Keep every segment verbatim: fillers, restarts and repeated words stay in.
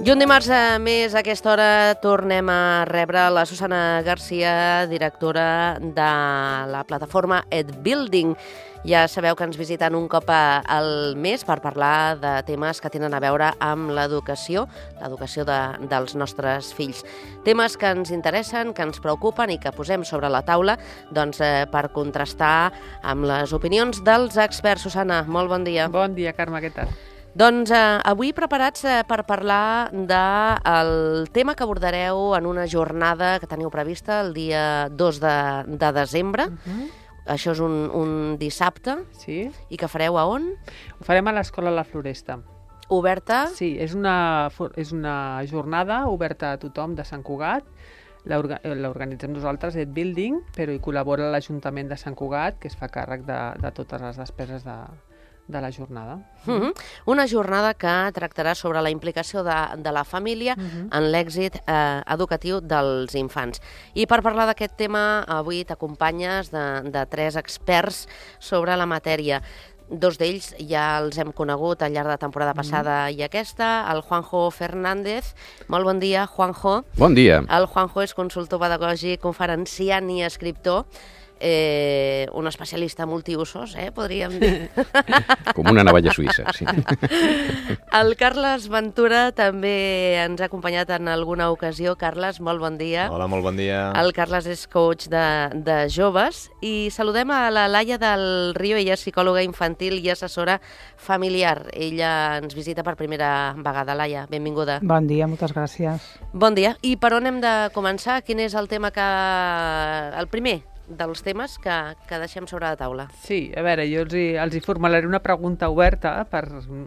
I un dimarts més a aquesta hora tornem a rebre la Susana Garcia, directora de la plataforma EdBuilding. Ja sabeu que ens visiten un cop al mes per parlar de temes que tenen a veure amb l'educació, l'educació de, dels nostres fills. Temes que ens interessen, que ens preocupen i que posem sobre la taula doncs, eh, per contrastar amb les opinions dels experts. Susana, molt bon dia. Bon dia, Carme, què tal? Doncs eh, avui preparats eh, per parlar del tema que abordareu en una jornada que teniu prevista el dia dos de, de desembre. Uh-huh. Això és un, un dissabte. Sí. I que fareu a on? Ho farem a l'Escola La Floresta. Oberta? Sí, és una, és una jornada oberta a tothom de Sant Cugat. L'organitzem nosaltres, EdBuilding, però hi col·labora l'Ajuntament de Sant Cugat, que es fa càrrec de, de totes les despeses de, de la jornada. Uh-huh. Una jornada que tractarà sobre la implicació de, de la família uh-huh. en l'èxit eh, educatiu dels infants. I per parlar d'aquest tema, avui t'acompanyes de, de tres experts sobre la matèria. Dos d'ells ja els hem conegut al llarg de la temporada passada mm. i aquesta, el Juanjo Fernández. Molt bon dia, Juanjo. Bon dia. El Juanjo és consultor pedagògic, conferenciant i escriptor. Eh, un especialista multiusos, eh, podríem dir. Com una navalla suïssa, sí. El Carles Ventura també ens ha acompanyat en alguna ocasió. Carles, molt bon dia. Hola, molt bon dia. El Carles és coach de, de joves i saludem a la Laia del Río. Ella és psicòloga infantil i assessora familiar. Ella ens visita per primera vegada. Laia, benvinguda. Bon dia, moltes gràcies. Bon dia. I per on hem de començar? Quin és el tema que... el primer dels temes que, que deixem sobre la taula? Sí, a veure, jo els hi, els hi formularé una pregunta oberta per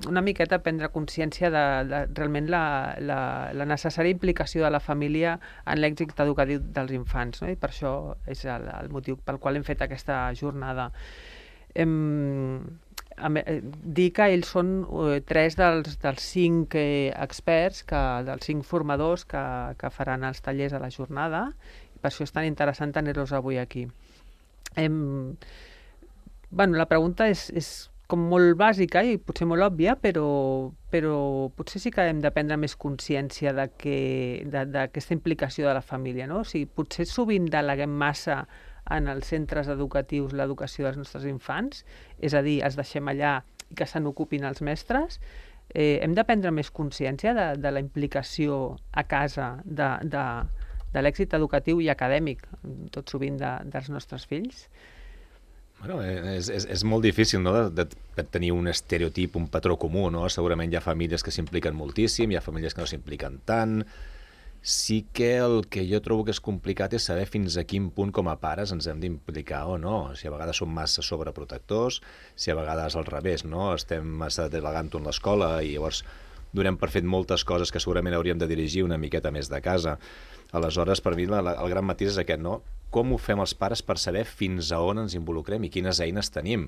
una miqueta prendre consciència de, de realment la, la, la necessària implicació de la família en l'èxit educatiu dels infants, no? I per això és el, el motiu pel qual hem fet aquesta jornada. Hem, dir que ells són eh, tres dels, dels cinc eh, experts, que, dels cinc formadors que, que faran els tallers a la jornada. Per això és tan interessant tenir-los avui aquí. Em... Bueno, la pregunta és, és com molt bàsica i potser molt òbvia, però, però potser sí que hem de prendre més consciència d'aquesta implicació de la família, no? O sigui, potser sovint deleguem massa en els centres educatius l'educació dels nostres infants, és a dir, els deixem allà i que se n'ocupin els mestres. Eh, hem de prendre més consciència de, de la implicació a casa de... de de l'èxit educatiu i acadèmic, tot sovint de, dels nostres fills? Bueno, és, és, és molt difícil, no?, de, de tenir un estereotip, un patró comú, no? Segurament hi ha famílies que s'impliquen moltíssim, hi ha famílies que no s'impliquen tant. Sí que el que jo trobo que és complicat és saber fins a quin punt com a pares ens hem d'implicar o no. Si a vegades som massa sobreprotectors, si a vegades al revés, no?, estem massa delegant-ho en l'escola i llavors donem per fet moltes coses que segurament hauríem de dirigir una miqueta més de casa. Aleshores, per mi, la, la, el gran matís és aquest, no? Com ho fem els pares per saber fins a on ens involucrem i quines eines tenim?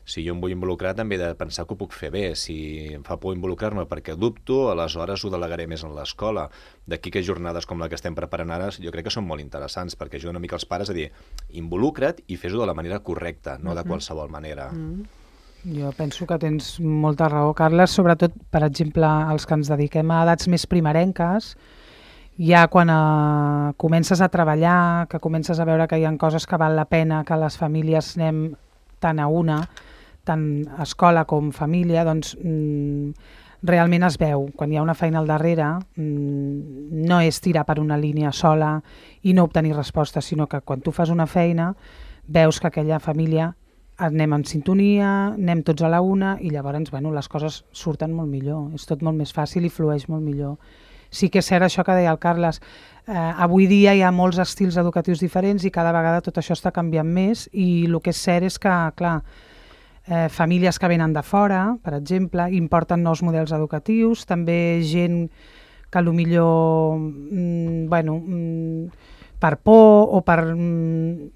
Si jo em vull involucrar, també he de pensar que ho puc fer bé. Si em fa por involucrar-me perquè dubto, aleshores ho delegaré més en l'escola. D'aquí que jornades com la que estem preparant ara, jo crec que són molt interessants, perquè ajuden una mica els pares a dir, involucra't i fes-ho de la manera correcta, no de qualsevol manera. Mm-hmm. Jo penso que tens molta raó, Carles, sobretot, per exemple, els que ens dediquem a edats més primerenques, ja quan eh, comences a treballar, que comences a veure que hi ha coses que val la pena, que les famílies anem tant a una, tant escola com família, doncs mm, realment es veu. Quan hi ha una feina al darrere, mm, no és tirar per una línia sola i no obtenir resposta, sinó que quan tu fas una feina, veus que aquella família anem en sintonia, anem tots a la una i llavors bueno, les coses surten molt millor, és tot molt més fàcil i flueix molt millor. Sí que és cert això que deia el Carles, eh, avui dia hi ha molts estils educatius diferents i cada vegada tot això està canviant més i el que és cert és que, clar, eh, famílies que venen de fora, per exemple, importen nous models educatius, també gent que potser mm, bueno, mm, per por o per... Mm,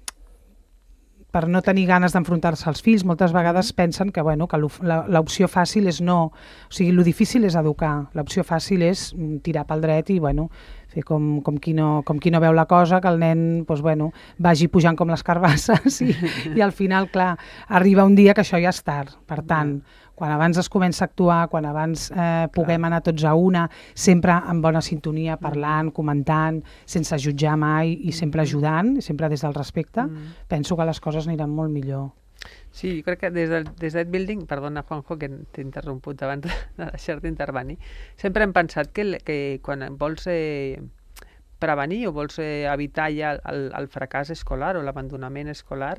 per no tenir ganes d'enfrontar-se als fills, moltes vegades pensen que, bueno, que l'opció fàcil és no... O sigui, el difícil és educar, l'opció fàcil és tirar pel dret i, bueno, fer com, com, qui no, com qui no veu la cosa, que el nen doncs, bueno, vagi pujant com les carbasses i, i al final, clar, arriba un dia que això ja és tard. Per tant, Quan abans es comença a actuar, quan abans eh, puguem anar tots a una, sempre en bona sintonia, parlant, comentant, sense jutjar mai i sempre ajudant, sempre des del respecte, mm. penso que les coses aniran molt millor. Sí, jo crec que des del des d'Ed Building, perdona Juanjo que t'he interromput abans de deixar-te intervenir, sempre hem pensat que, que quan vols eh, prevenir o vols eh, evitar ja el, el fracàs escolar o l'abandonament escolar,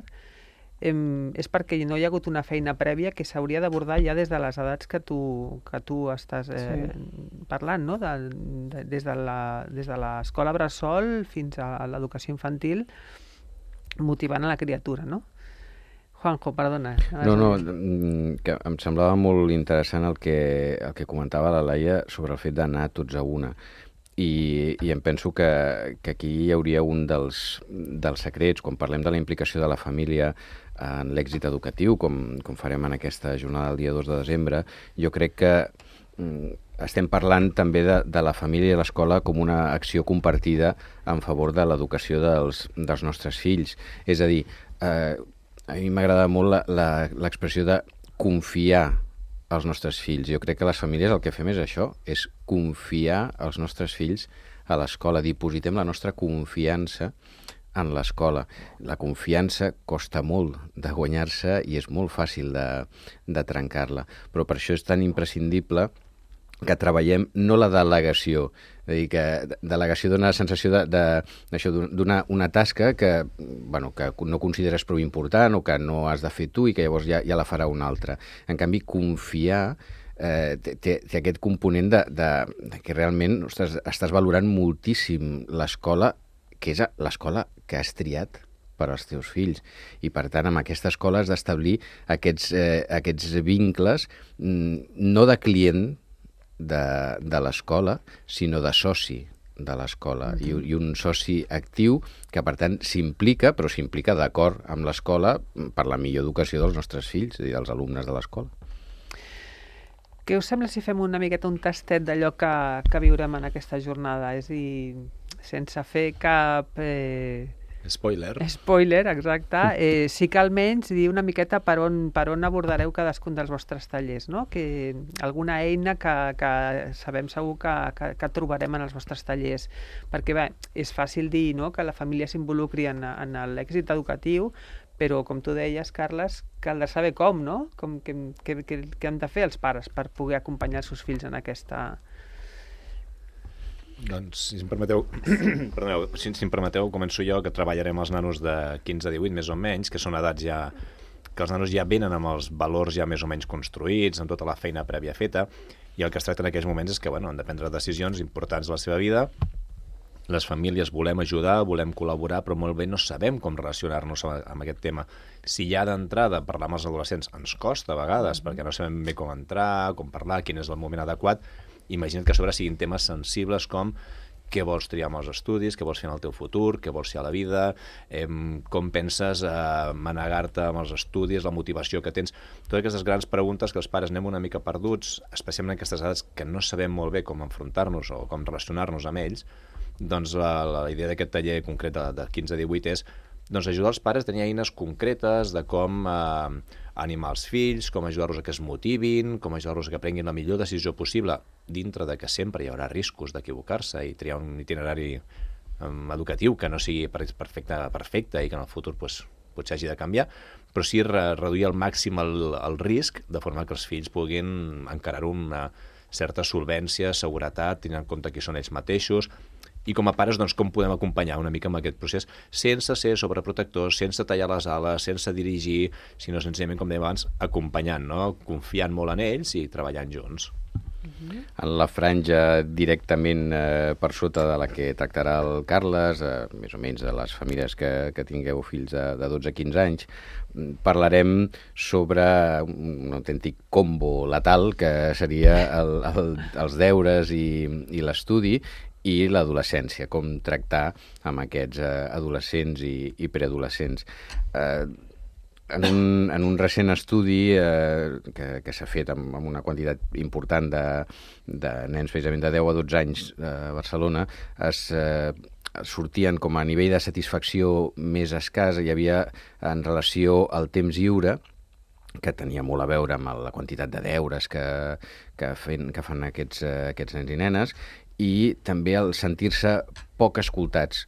eh, és perquè no hi ha hagut una feina prèvia que s'hauria d'abordar ja des de les edats que tu, que tu estàs eh, sí. parlant, no? de, de, des de la, des de l'escola bressol fins a l'educació infantil, motivant a la criatura, no? Juanjo, perdona. No, no, que em semblava molt interessant el que, el que comentava la Laia sobre el fet d'anar tots a una. I, i em penso que, que aquí hi hauria un dels, dels secrets, quan parlem de la implicació de la família en l'èxit educatiu, com, com farem en aquesta jornada del dia dos de desembre, jo crec que mm, estem parlant també de, de la família i l'escola com una acció compartida en favor de l'educació dels, dels nostres fills. És a dir, eh, a mi m'agrada molt l'expressió de confiar als nostres fills. Jo crec que les famílies el que fem és això, és confiar als nostres fills a l'escola. Dipositem la nostra confiança en l'escola. La confiança costa molt de guanyar-se i és molt fàcil de, de trencar-la. Però per això és tan imprescindible que treballem no la delegació, és a dir, que delegació dona la sensació de, de, d'això, d'una una tasca que, bueno, que no consideres prou important o que no has de fer tu i que llavors ja, ja la farà un altre. En canvi, confiar eh, té, té aquest component de, de, de que realment ostres, estàs valorant moltíssim l'escola, que és l'escola que has triat per als teus fills. I, per tant, amb aquesta escola has d'establir aquests, eh, aquests vincles no de client de, de l'escola, sinó de soci de l'escola. Mm-hmm. I, I un soci actiu que, per tant, s'implica, però s'implica d'acord amb l'escola per la millor educació dels nostres fills, és a dir, dels alumnes de l'escola. Què us sembla si fem una miqueta un tastet d'allò que, que viurem en aquesta jornada? És a dir, sense fer cap... Eh... Spoiler. Spoiler, exacte. Eh, sí que almenys dir una miqueta per on, per on abordareu cadascun dels vostres tallers, no? Que alguna eina que, que sabem segur que, que, que trobarem en els vostres tallers. Perquè bé, és fàcil dir, no?, que la família s'involucri en, en l'èxit educatiu, però, com tu deies, Carles, caldrà saber com, no? Com, què, què, què han de fer els pares per poder acompanyar els seus fills en aquesta... Doncs, si em permeteu, perdoneu, si, si em permeteu, començo jo, que treballarem els nanos de quinze a divuit, més o menys, que són edats ja... que els nanos ja venen amb els valors ja més o menys construïts, amb tota la feina prèvia feta, i el que es tracta en aquells moments és que, bueno, han de prendre decisions importants de la seva vida. Les famílies volem ajudar, volem col·laborar, però molt bé no sabem com relacionar-nos amb aquest tema. Si ja d'entrada parlar amb els adolescents ens costa a vegades, perquè no sabem bé com entrar, com parlar, quin és el moment adequat, imagina't que a sobre siguin temes sensibles com què vols triar amb els estudis, què vols fer en el teu futur, què vols fer a la vida, eh, com penses eh, manegar-te amb els estudis, la motivació que tens. Totes aquestes grans preguntes que els pares anem una mica perduts, especialment en aquestes edats que no sabem molt bé com enfrontar-nos o com relacionar-nos amb ells, doncs la, la idea d'aquest taller concret de, de quinze a divuit és doncs, ajudar els pares a tenir eines concretes de com eh, animar els fills, com ajudar-los a que es motivin, com ajudar-los a que prenguin la millor decisió possible, dintre de que sempre hi haurà riscos d'equivocar-se i triar un itinerari um, educatiu que no sigui perfecte, perfecte i que en el futur pues, potser hagi de canviar, però sí re reduir al màxim el, el risc, de forma que els fills puguin encarar-ho amb una certa solvència, seguretat, tenint en compte qui són ells mateixos, i com a pares, doncs, com podem acompanyar una mica amb aquest procés sense ser sobreprotectors, sense tallar les ales, sense dirigir, sinó senzillament, com dèiem abans, acompanyant, no? Confiant molt en ells i treballant junts. En la franja directament eh, per sota de la que tractarà el Carles, eh, més o menys de les famílies que, que tingueu fills de, de dotze a quinze anys, parlarem sobre un autèntic combo letal que seria el, el, els deures i, i l'estudi, i l'adolescència, com tractar amb aquests eh, adolescents i, i preadolescents. Eh, en, un, en un recent estudi eh, que, que s'ha fet amb, amb una quantitat important de, de nens precisament de deu a dotze anys a Barcelona, es eh, sortien com a nivell de satisfacció més escàs, hi havia en relació al temps lliure, que tenia molt a veure amb la quantitat de deures que, que, fen, que fan aquests, aquests nens i nenes, i també el sentir-se poc escoltats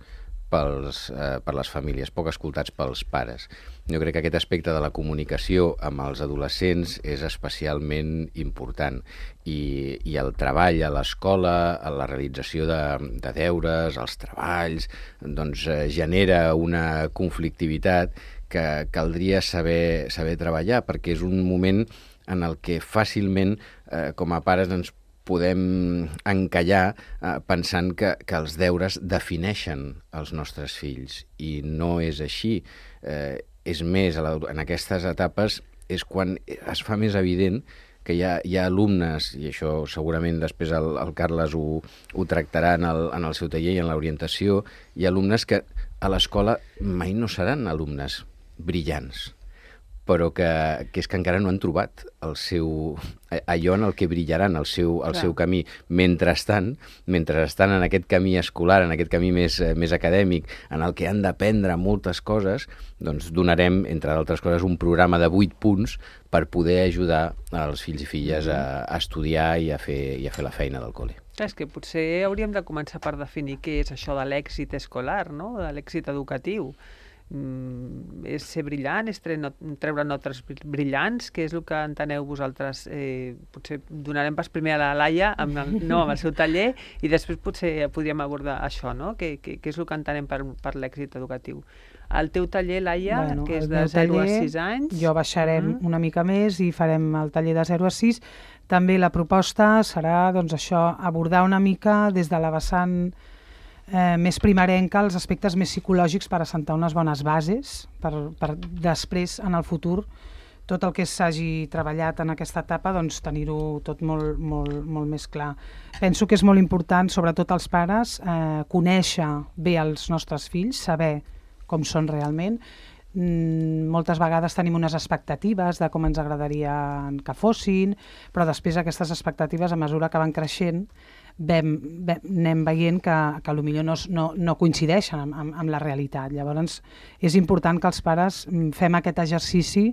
pels, eh, per les famílies, poc escoltats pels pares. Jo crec que aquest aspecte de la comunicació amb els adolescents és especialment important i, i el treball a l'escola, la realització de, de deures, els treballs, doncs eh, genera una conflictivitat que caldria saber, saber treballar, perquè és un moment en el que fàcilment eh, com a pares ens podem encallar eh, pensant que, que els deures defineixen els nostres fills, i no és així. Eh, és més, a la, en aquestes etapes és quan es fa més evident que hi ha, hi ha alumnes, i això segurament després el, el Carles ho, ho tractarà en el, en el seu taller i en l'orientació, hi ha alumnes que a l'escola mai no seran alumnes brillants, però que, que és que encara no han trobat el seu, allò en el que brillaran, el seu, el seu camí. Mentrestant, mentre estan en aquest camí escolar, en aquest camí més, més acadèmic, en el que han d'aprendre moltes coses, doncs donarem, entre d'altres coses, un programa de vuit punts per poder ajudar els fills i filles a, a estudiar i a, fer, i a fer la feina del col·le. És que potser hauríem de començar per definir què és això de l'èxit escolar, no? De l'èxit educatiu. Mm, és ser brillant, és treure notes brillants, que és el que enteneu vosaltres. Eh, potser donarem pas primer a la Laia amb el, no, amb el seu taller, i després potser podríem abordar això, no? Què, què, què és el que entenem per, per l'èxit educatiu. El teu taller, Laia, bueno, que és de zero a sis anys... Jo baixarem mm. una mica més i farem el taller de zero a sis. També la proposta serà, doncs, això, abordar una mica des de la vessant Eh, més primerenca els aspectes més psicològics per assentar unes bones bases per, per després, en el futur, tot el que s'hagi treballat en aquesta etapa, doncs tenir-ho tot molt, molt, molt més clar. Penso que és molt important, sobretot els pares, eh, conèixer bé els nostres fills, saber com són realment. Mm, moltes vegades tenim unes expectatives de com ens agradaria que fossin, però després aquestes expectatives, a mesura que van creixent, Vam, vam, anem veient que, que potser no, no, no coincideixen amb, amb, amb la realitat. Llavors, és important que els pares fem aquest exercici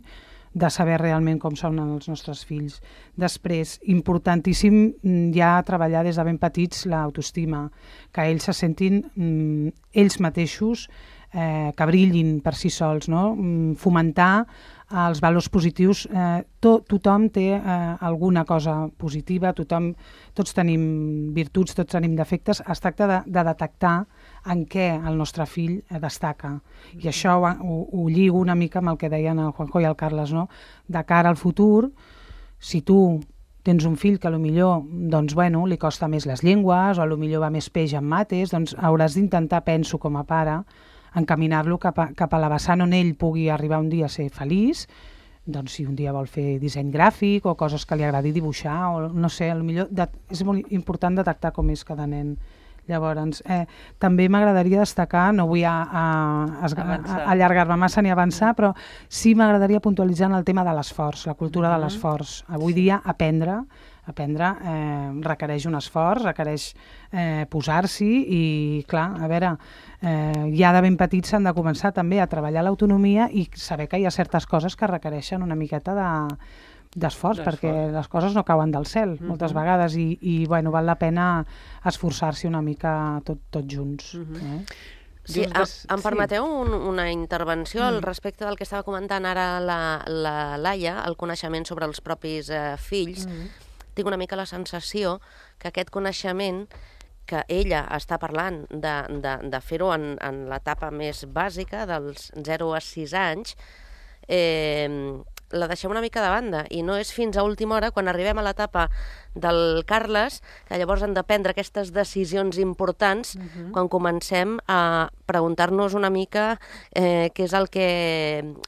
de saber realment com són els nostres fills. Després, importantíssim ja treballar des de ben petits l'autoestima, que ells se sentin mm, ells mateixos, eh, que brillin per si sols, no? Fomentar els valors positius. Eh, to, tothom té eh, alguna cosa positiva, tothom, tots tenim virtuts, tots tenim defectes. Es tracta de, de detectar en què el nostre fill destaca. I això ho, ho, ho lligo una mica amb el que deien el Juanjo i el Carles, no? De cara al futur, si tu tens un fill que potser doncs, bueno, li costa més les llengües o potser va més peix en mates, doncs hauràs d'intentar, penso com a pare, encaminar-lo cap a, cap a la vessant on ell pugui arribar un dia a ser feliç, doncs si un dia vol fer disseny gràfic o coses que li agradi dibuixar, o no sé, potser de, és molt important detectar com és cada nen. Llavors, eh, també m'agradaria destacar, no vull a, a, a, a allargar-me massa ni avançar, però sí m'agradaria puntualitzar en el tema de l'esforç, la cultura de l'esforç. Avui dia aprendre aprendre eh, requereix un esforç, requereix eh, posar-s'hi i, clar, a veure, eh, ja de ben petits s'han de començar també a treballar l'autonomia i saber que hi ha certes coses que requereixen una miqueta de d'esforç, perquè les coses no cauen del cel, uh-huh. moltes vegades, i, i bueno, val la pena esforçar-s'hi una mica tot, tots junts. Uh-huh. eh? Sí, em, em permeteu un, una intervenció al respecte del que estava comentant ara la, la Laia, el coneixement sobre els propis eh, fills. Uh-huh. Tinc una mica la sensació que aquest coneixement que ella està parlant de, de, de fer-ho en, en l'etapa més bàsica, dels zero a sis anys, eh, la deixem una mica de banda, i no és fins a última hora, quan arribem a l'etapa del Carles, que llavors han de prendre aquestes decisions importants, uh-huh. quan comencem a preguntar-nos una mica eh, què és el que,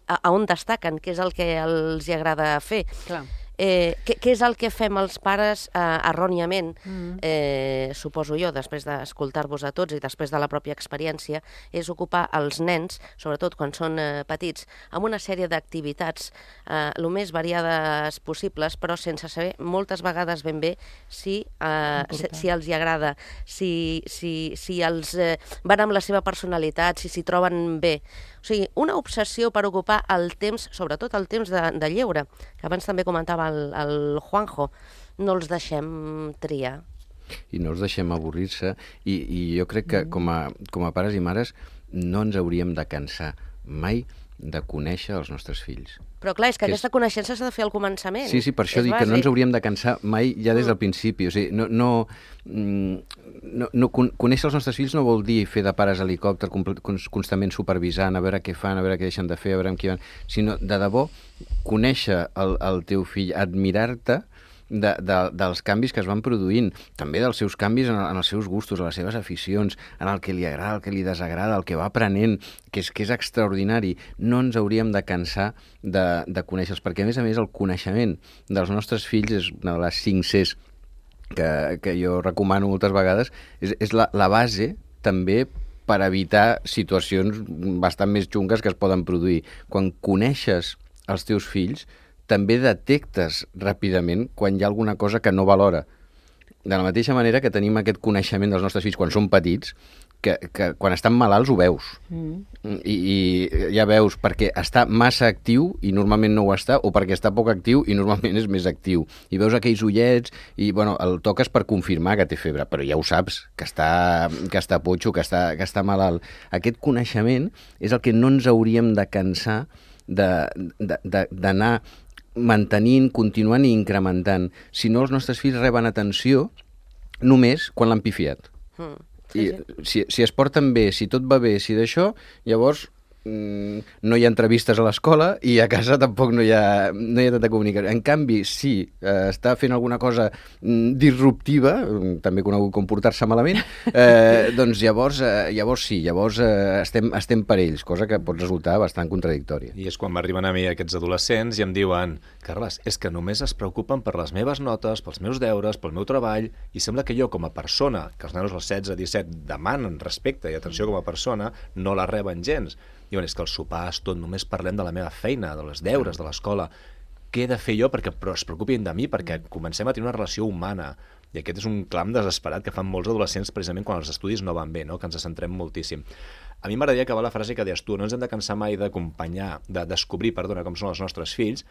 a, a on destaquen, què és el que els hi agrada fer. Clar. Eh, què, què és el que fem els pares eh, erròniament, mm. eh, suposo jo, després d'escoltar-vos a tots i després de la pròpia experiència, és ocupar els nens, sobretot quan són eh, petits, amb una sèrie d'activitats eh, el més variades possibles, però sense saber moltes vegades ben bé si, eh, si, si els hi agrada, si, si, si els eh, van amb la seva personalitat, si s'hi troben bé. O sigui, una obsessió per ocupar el temps, sobretot el temps de, de lleure, que abans també comentava el, el Juanjo, no els deixem triar. I no els deixem avorrir-se, i, i jo crec que com a, com a pares i mares no ens hauríem de cansar mai de conèixer els nostres fills. Però clar, és que, que aquesta és... coneixença s'ha de fer al començament. Sí, sí, per això és dic bàsic. que no ens hauríem de cansar mai ja des del principi. O sigui, no, no, no, no, conèixer els nostres fills no vol dir fer de pares helicòpter constantment supervisant, a veure què fan, a veure què deixen de fer, a veure amb qui van, sinó de debò conèixer el, el teu fill, admirar-te De, de, dels canvis que es van produint, també dels seus canvis en, en els seus gustos, en les seves aficions, en el que li agrada, el que li desagrada, el que va aprenent, que és, que és extraordinari. No ens hauríem de cansar de, de conèixer-los, perquè a més a més el coneixement dels nostres fills és una de les cinc Cs que, que jo recomano moltes vegades, és, és la, la base també per evitar situacions bastant més xungues que es poden produir. Quan coneixes els teus fills, també detectes ràpidament quan hi ha alguna cosa que no valora. De la mateixa manera que tenim aquest coneixement dels nostres fills quan són petits, que, que quan estan malalts ho veus. Mm. I, I ja veus perquè està massa actiu i normalment no ho està, o perquè està poc actiu i normalment és més actiu. I veus aquells ullets i bueno, el toques per confirmar que té febre, però ja ho saps, que està, que està potxo, que està, que està malalt. Aquest coneixement és el que no ens hauríem de cansar d'anar mantenint, continuant i incrementant. Si no, els nostres fills reben atenció només quan l'han pifiat. Mm, sí, I sí. Si, si es porten bé, si tot va bé, si d'això, llavors mm, no hi ha entrevistes a l'escola i a casa tampoc no hi ha, no hi ha tanta comunicació. En canvi, si eh, està fent alguna cosa mm, disruptiva, també conegut com portar-se malament, eh, doncs llavors, eh, llavors sí, llavors eh, estem, estem per ells, cosa que pot resultar bastant contradictòria. I és quan m'arriben a mi aquests adolescents i em diuen: Carles, és que només es preocupen per les meves notes, pels meus deures, pel meu treball, i sembla que jo, com a persona, que els nanos als setze, disset demanen respecte i atenció com a persona, no la reben gens. Diuen, és que els sopars, tot, només parlem de la meva feina, de les deures, de l'escola. Què he de fer jo perquè però es preocupin de mi, perquè comencem a tenir una relació humana. I aquest és un clam desesperat que fan molts adolescents precisament quan els estudis no van bé, no? Que ens centrem moltíssim. A mi m'agradaria acabar la frase que deies tu: no ens hem de cansar mai d'acompanyar, de descobrir, perdona, com són els nostres fills,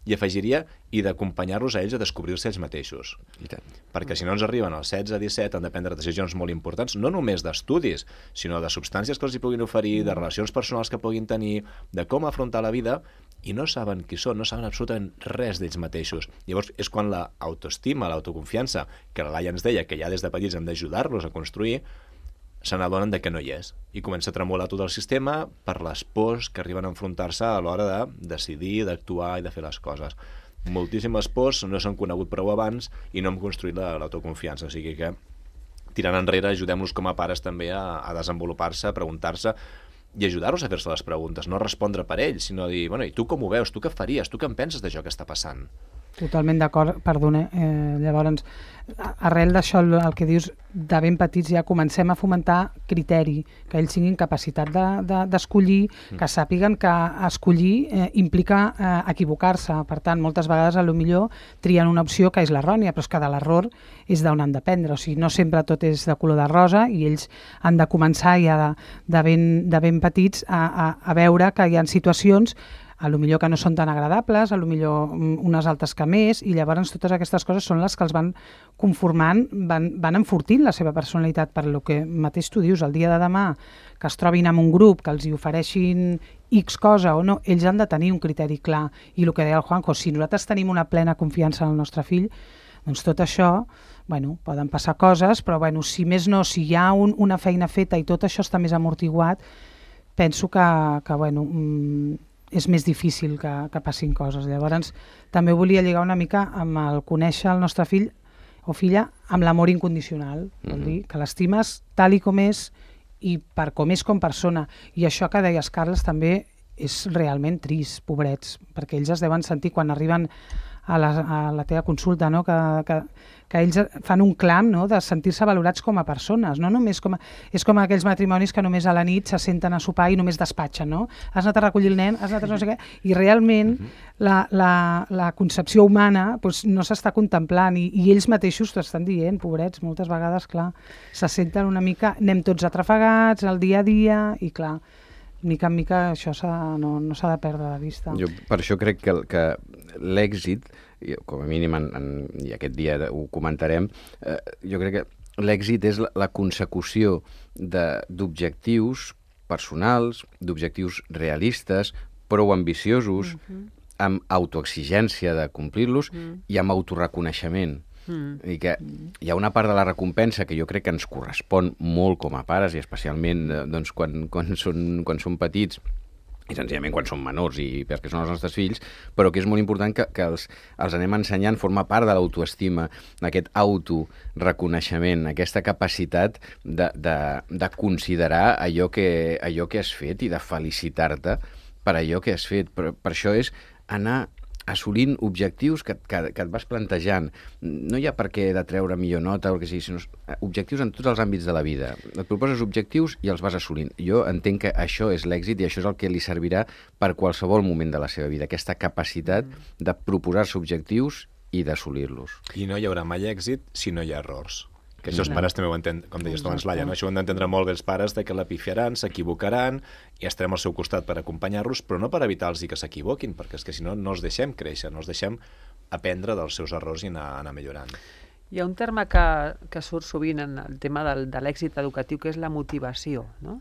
i afegiria, i d'acompanyar-los a ells a descobrir-se ells mateixos. I tant. Perquè si no ens arriben als setze, disset, han de prendre decisions molt importants, no només d'estudis, sinó de substàncies que els hi puguin oferir, de relacions personals que puguin tenir, de com afrontar la vida, i no saben qui són, no saben absolutament res d'ells mateixos. Llavors és quan l'autoestima, l'autoconfiança, que la Laia ens deia que ja des de petits hem d'ajudar-los a construir, se n'adonen de que no hi és. I comença a tremolar tot el sistema per les pors que arriben a enfrontar-se a l'hora de decidir, d'actuar i de fer les coses. Moltíssimes pors, no s'han conegut prou abans i no hem construït l'autoconfiança. O sigui que, tirant enrere, ajudem-los com a pares també a, a desenvolupar-se, a preguntar-se i ajudar-los a fer-se les preguntes, no respondre per ells, sinó dir, bueno, i tu com ho veus? Tu què faries? Tu què en penses d'això que està passant? Totalment d'acord, perdona. Eh, llavors, arrel d'això, el, el que dius, de ben petits ja comencem a fomentar criteri, que ells tinguin capacitat d'escollir, de, de, que sàpiguen que escollir eh, implica eh, equivocar-se. Per tant, moltes vegades, a lo millor, trien una opció que és l'errònia, però és que de l'error és d'on han d'aprendre. O sigui, no sempre tot és de color de rosa i ells han de començar ja de, de, ben, de ben petits a, a, a veure que hi ha situacions a lo millor que no són tan agradables, a lo millor unes altres que més, i llavors totes aquestes coses són les que els van conformant, van, van enfortint la seva personalitat. Per lo que mateix tu dius, el dia de demà, que es trobin amb un grup, que els hi ofereixin X cosa o no, ells han de tenir un criteri clar. I el que deia el Juanjo, si nosaltres tenim una plena confiança en el nostre fill, doncs tot això, bueno, poden passar coses, però bueno, si més no, si hi ha un, una feina feta i tot això està més amortiguat, penso que, que bueno, mmm, és més difícil que, que passin coses. Llavors, també volia lligar una mica amb el conèixer el nostre fill o filla amb l'amor incondicional. Mm-hmm. Vol dir que l'estimes tal i com és i per com és com persona. I això que deies, Carles, també és realment trist, pobrets, perquè ells es deuen sentir quan arriben a la, a la teva consulta, no? que, que, que ells fan un clam, no? De sentir-se valorats com a persones, no només com a, és com aquells matrimonis que només a la nit se senten a sopar i només despatxen, no? Has anat a recollir el nen, has anat a no sé què, i realment la, la, la concepció humana doncs, no s'està contemplant i, i ells mateixos t'ho estan dient, pobrets, moltes vegades, clar, se senten una mica, anem tots atrafegats al dia a dia i clar, mica en mica això s'ha, no, no s'ha de perdre de vista. Jo per això crec que, que l'èxit, com a mínim en, en, i aquest dia ho comentarem, eh, jo crec que l'èxit és la, la consecució d'objectius personals, d'objectius realistes, prou ambiciosos, mm-hmm. amb autoexigència de complir-los mm. i amb autorreconeixement. Mm. I que hi ha una part de la recompensa que jo crec que ens correspon molt com a pares, i especialment doncs, quan, quan, són, quan són petits, i senzillament quan són menors i perquè són els nostres fills, però que és molt important que, que els, els anem ensenyant, forma part de l'autoestima, aquest autoreconeixement, aquesta capacitat de, de, de considerar allò que, allò que has fet i de felicitar-te per allò que has fet. Per, per això és anar assolint objectius que, que, que et vas plantejant. No hi ha per què de treure millor nota o el que sigui, sinó objectius en tots els àmbits de la vida. Et proposes objectius i els vas assolint. Jo entenc que això és l'èxit i això és el que li servirà per qualsevol moment de la seva vida, aquesta capacitat de proposar-se objectius i d'assolir-los. I no hi haurà mai èxit si no hi ha errors. Que això els pares també ho entenen, com deies tu abans, Laia, no? Això ho han d'entendre molt bé els pares, de que la pifiaran, s'equivocaran, i estarem al seu costat per acompanyar-los, però no per evitar-los que s'equivoquin, perquè és que si no, no els deixem créixer, no els deixem aprendre dels seus errors i anar, anar millorant. Hi ha un terme que, que surt sovint en el tema del, de l'èxit educatiu, que és la motivació. No?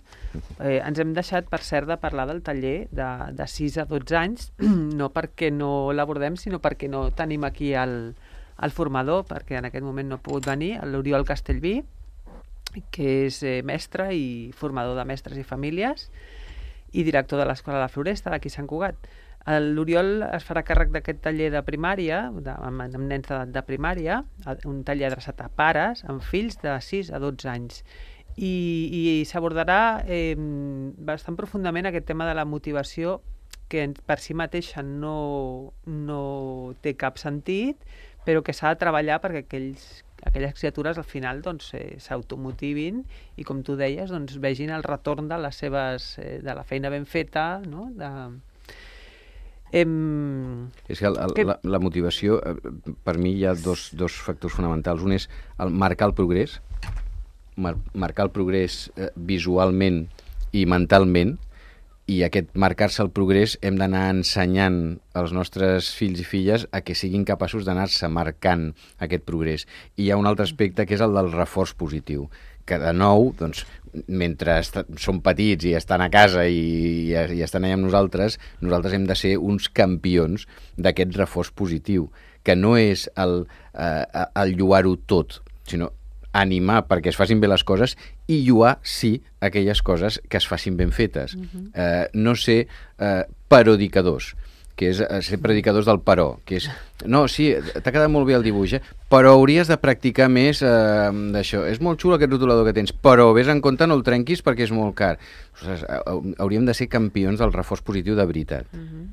Eh, ens hem deixat, per cert, de parlar del taller de, de sis a dotze anys, no perquè no l'abordem, sinó perquè no tenim aquí el... el formador, perquè en aquest moment no ha pogut venir, l'Oriol Castellví, que és eh, mestre i formador de mestres i famílies i director de l'Escola de la Floresta d'aquí a Sant Cugat. L'Oriol es farà càrrec d'aquest taller de primària, de, amb, amb nens de, de primària, un taller adreçat a pares amb fills de sis a dotze anys. I, i s'abordarà eh, bastant profundament aquest tema de la motivació, que per si mateixa no, no té cap sentit, però que s'ha de treballar perquè aquells, aquelles criatures al final doncs, eh, s'automotivin i, com tu deies, doncs, vegin el retorn de les seves, eh, de la feina ben feta, no? De... Em... És que, el, el, que... La, la motivació, per mi hi ha dos, dos factors fonamentals. Un és el marcar el progrés, mar, marcar el progrés eh, visualment i mentalment, i aquest marcar-se el progrés hem d'anar ensenyant als nostres fills i filles a que siguin capaços d'anar-se marcant aquest progrés. I hi ha un altre aspecte que és el del reforç positiu, que de nou, doncs, mentre són petits i estan a casa i, i, i estan allà amb nosaltres, nosaltres hem de ser uns campions d'aquest reforç positiu, que no és el, eh, el lloar-ho tot, sinó animar perquè es facin bé les coses i lloar, sí, aquelles coses que es facin ben fetes. Uh-huh. eh, no ser eh, parodicadors, que és eh, ser predicadors del però, que és, no, sí, t'ha quedat molt bé el dibuix, eh? Però hauries de practicar més eh, d'això. És molt xulo aquest rotulador que tens, però vés en compte, no el trenquis perquè és molt car. Ostres, hauríem de ser campions del reforç positiu de veritat. Uh-huh.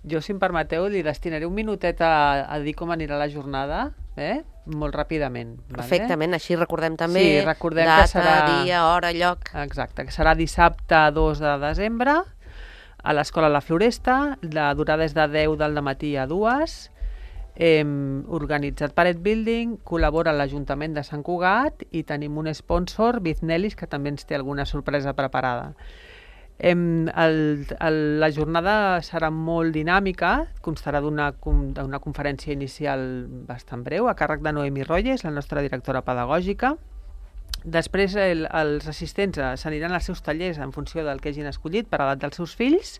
Jo, si em permeteu, li destinaré un minutet a, a dir com anirà la jornada, eh? Molt ràpidament. Perfectament, vale? Així recordem també sí, recordem data, que serà... dia, hora, lloc. Exacte, que serà dissabte dos de desembre a l'Escola La Floresta, la durada és de deu del matí a dues, eh, organitzat per Ed Building, col·labora l'Ajuntament de Sant Cugat i tenim un sponsor, Biznelis, que també ens té alguna sorpresa preparada. Em, el, el, la jornada serà molt dinàmica, constarà d'una d'una conferència inicial bastant breu, a càrrec de Noemi Royes, la nostra directora pedagògica. Després el, els assistents s'aniran als seus tallers en funció del que hagin escollit per a l'edat dels seus fills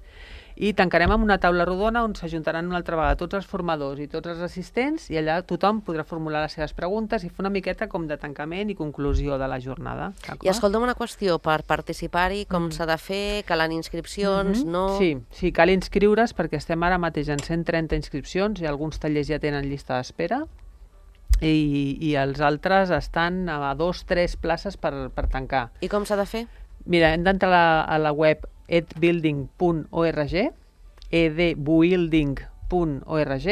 i tancarem amb una taula rodona on s'ajuntaran una altra vegada tots els formadors i tots els assistents i allà tothom podrà formular les seves preguntes i fer una miqueta com de tancament i conclusió de la jornada. I escolta'm una qüestió, per participar-hi com mm. s'ha de fer? Calen inscripcions? Mm-hmm. No? Sí, sí, cal inscriure's perquè estem ara mateix en cent trenta inscripcions i alguns tallers ja tenen llista d'espera i, i els altres estan a dos o tres places per, per tancar. I com s'ha de fer? Mira, hem d'entrar a, la, a la web edbuilding punt org, edbuilding punt org,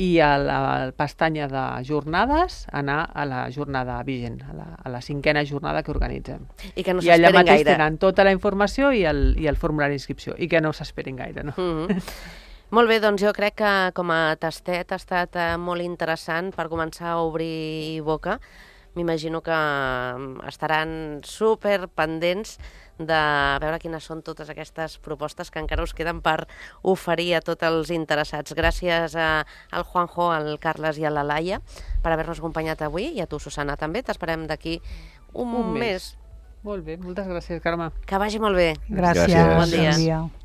i a la pestanya de jornades anar a la jornada vigent, a la, a la cinquena jornada que organitzem. I que no I allà s'esperin mateix gaire. tenen tota la informació i el, i el formulari d'inscripció, i que no s'esperin gaire, no? Mm-hmm. Molt bé, doncs jo crec que com a tastet ha estat eh, molt interessant per començar a obrir boca, m'imagino que estaran super pendents de veure quines són totes aquestes propostes que encara us queden per oferir a tots els interessats. Gràcies a, al Juanjo, al Carles i a la Laia per haver-nos acompanyat avui, i a tu, Susana, també. T'esperem d'aquí un, Un mes. mes. Molt bé, moltes gràcies, Carme. Que vagi molt bé. Gràcies. Gràcies. Bon dia. Bon dia.